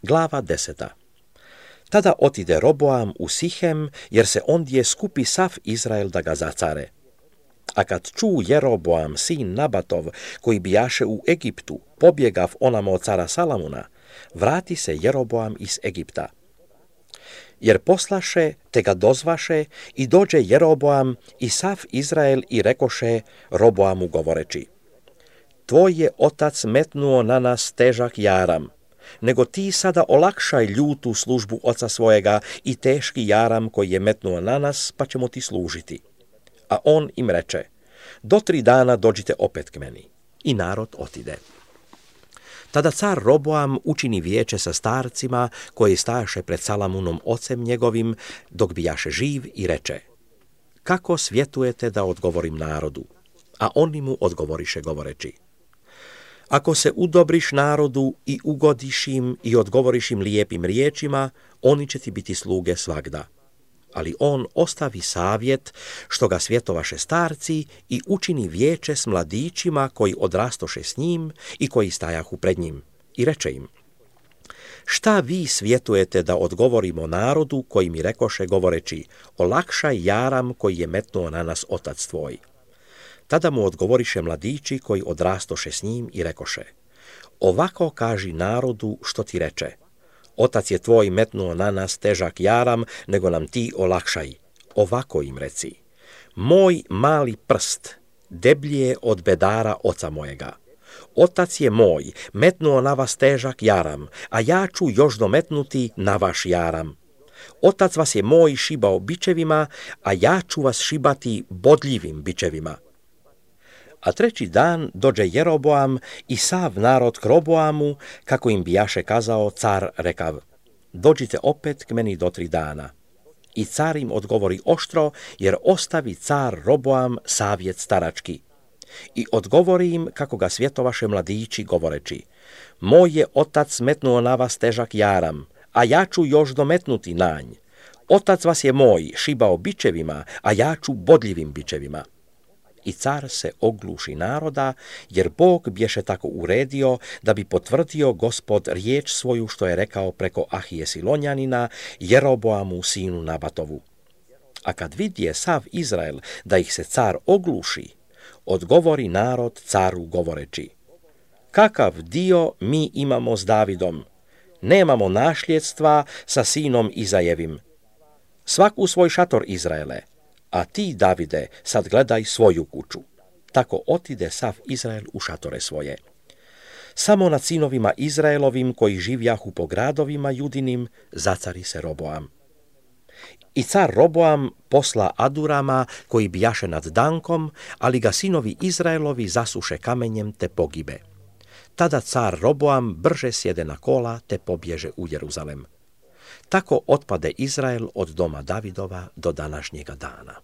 Glava 10. Tada otide Roboam u Sihem, jer se ondje skupi sav Izrael da ga zacare. A kad ču Jeroboam, sin Nabatov, koji bijaše u Egiptu, pobjegav onamo od cara Salamuna, vrati se Jeroboam iz Egipta. Jer poslaše, te ga dozvaše, i dođe Jeroboam i sav Izrael i rekoše Roboamu govoreći: Tvoj je otac metnuo na nas težak jaram, nego ti sada olakšaj ljutu službu oca svojega i teški jaram koji je metnuo na nas, pa ćemo ti služiti. A on im reče: Do 3 dana dođite opet k meni. I narod otide. Tada car Roboam učini vijeće sa starcima koji stajaše pred Salamunom ocem njegovim, dok bijaše živ, i reče: Kako svjetujete da odgovorim narodu? A oni mu odgovoriše govoreći: Ako se udobriš narodu i ugodiš im i odgovoriš im lijepim riječima, oni će ti biti sluge svagda. Ali on ostavi savjet što ga svjetovaše starci i učini vijeće s mladićima koji odrastoše s njim i koji stajahu pred njim. I reče im: Šta vi svjetujete da odgovorimo narodu koji mi rekoše govoreći: Olakšaj jaram koji je metnuo na nas otac tvoj? Tada mu odgovoriše mladići koji odrastoše s njim i rekoše: Ovako kaži narodu što ti reče: Otac je tvoj metnuo na nas težak jaram, nego nam ti olakšaj. Ovako im reci: Moj mali prst deblji je od bedara oca mojega. Otac je moj metnuo na vas težak jaram, a ja ću još dometnuti na vaš jaram. Otac vas je moj šibao bičevima, a ja ću vas šibati bodljivim bičevima. A 3. dan dođe Jeroboam i sav narod k Roboamu, kako im bijaše kazao car rekav: Dođite opet k meni do 3 dana. I car im odgovori oštro, jer ostavi car Roboam savjet starački. I odgovori im kako ga svjetovaše mladići govoreći: Moj je otac metnuo na vas težak jaram, a ja ću još dometnuti nanj. Otac vas je moj šibao bičevima, a ja ću bodljivim bičevima. I car se ogluši naroda, jer Bog bješe tako uredio da bi potvrdio Gospod riječ svoju što je rekao preko Ahije Silonjanina, Jeroboamu sinu Nabatovu. A kad vidje sav Izrael da ih se car ogluši, odgovori narod caru govoreći: Kakav dio mi imamo s Davidom? Nemamo našljedstva sa sinom Izajevim. Svak u svoj šator, Izraele, a ti, Davide, sad gledaj svoju kuću. Tako otide sav Izrael u šatore svoje. Samo nad sinovima Izraelovim koji živjahu po gradovima Judinim zacari se Roboam. I car Roboam posla Adurama koji bijaše nad Dankom, ali ga sinovi Izraelovi zasuše kamenjem te pogibe. Tada car Roboam brže sjede na kola te pobježe u Jeruzalem. Tako otpade Izrael od doma Davidova do današnjega dana.